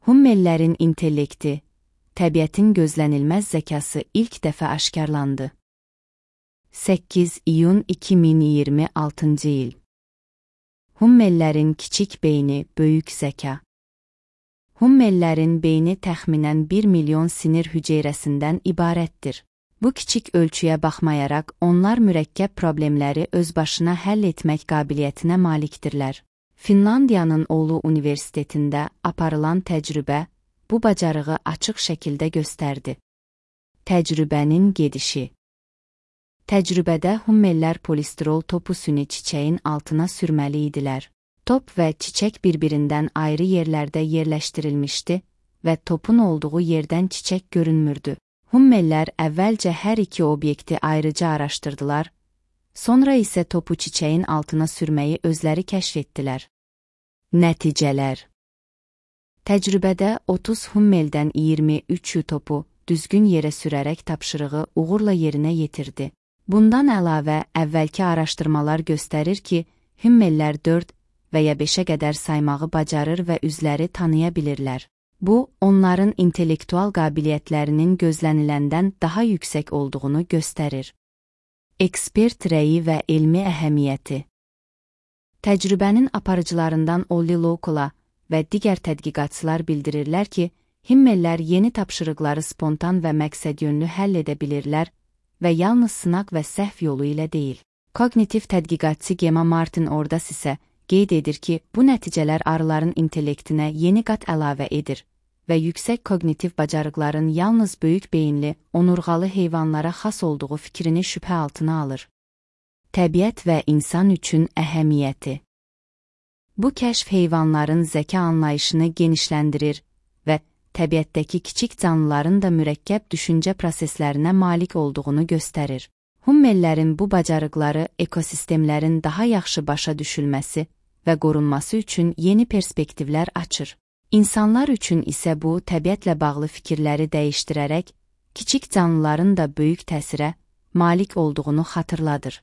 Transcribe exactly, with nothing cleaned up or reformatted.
Hummellərin intellekti, təbiətin gözlənilməz zəkası ilk dəfə aşkarlandı. səkkiz iyun iki min iyirmi altıncı il. Hummellərin kiçik beyni, böyük zəka. Hummellərin beyni təxminən bir milyon sinir hüceyrəsindən ibarətdir. Bu kiçik ölçüyə baxmayaraq, onlar mürəkkəb problemləri özbaşına həll etmək qabiliyyətinə malikdirlər. Finlandiyanın Oulu Universitetində aparılan təcrübə bu bacarığı açıq şəkildə göstərdi. Təcrübənin gedişi. Təcrübədə hummellər polistirol topu süni çiçəyin altına sürməli idilər. Top və çiçək bir-birindən ayrı yerlərdə yerləşdirilmişdi və topun olduğu yerdən çiçək görünmürdü. Hummellər əvvəlcə hər iki obyekti ayrıca araşdırdılar, sonra isə topu çiçəyin altına sürməyi özləri kəşf etdilər. Nəticələr. Təcrübədə otuz hummeldən iyirmi üçü topu düzgün yerə sürərək tapşırığı uğurla yerinə yetirdi. Bundan əlavə, əvvəlki araşdırmalar göstərir ki, hummellər dörd və ya beşə qədər saymağı bacarır və üzləri tanıya bilirlər. Bu, onların intellektual qabiliyyətlərinin gözləniləndən daha yüksək olduğunu göstərir. Ekspert rəyi və elmi əhəmiyyəti. Təcrübənin aparıcılarından Olli Lokola və digər tədqiqatçılar bildirirlər ki, hummellər yeni tapşırıqları spontan və məqsədyönlü həll edə bilirlər və yalnız sınaq və səhv yolu ilə deyil. Kognitiv tədqiqatçı Gemma Martin Ordas isə qeyd edir ki, bu nəticələr arıların intellektinə yeni qat əlavə edir və yüksək kognitiv bacarıqların yalnız böyük beyinli, onurğalı heyvanlara xas olduğu fikrini şübhə altına alır. Təbiət və insan üçün əhəmiyyəti. Bu kəşf heyvanların zəka anlayışını genişləndirir və təbiətdəki kiçik canlıların da mürəkkəb düşüncə proseslərinə malik olduğunu göstərir. Hummellərin bu bacarıqları ekosistemlərin daha yaxşı başa düşülməsi və qorunması üçün yeni perspektivlər açır. İnsanlar üçün isə bu, təbiətlə bağlı fikirləri dəyişdirərək, kiçik canlıların da böyük təsirə malik olduğunu xatırladır.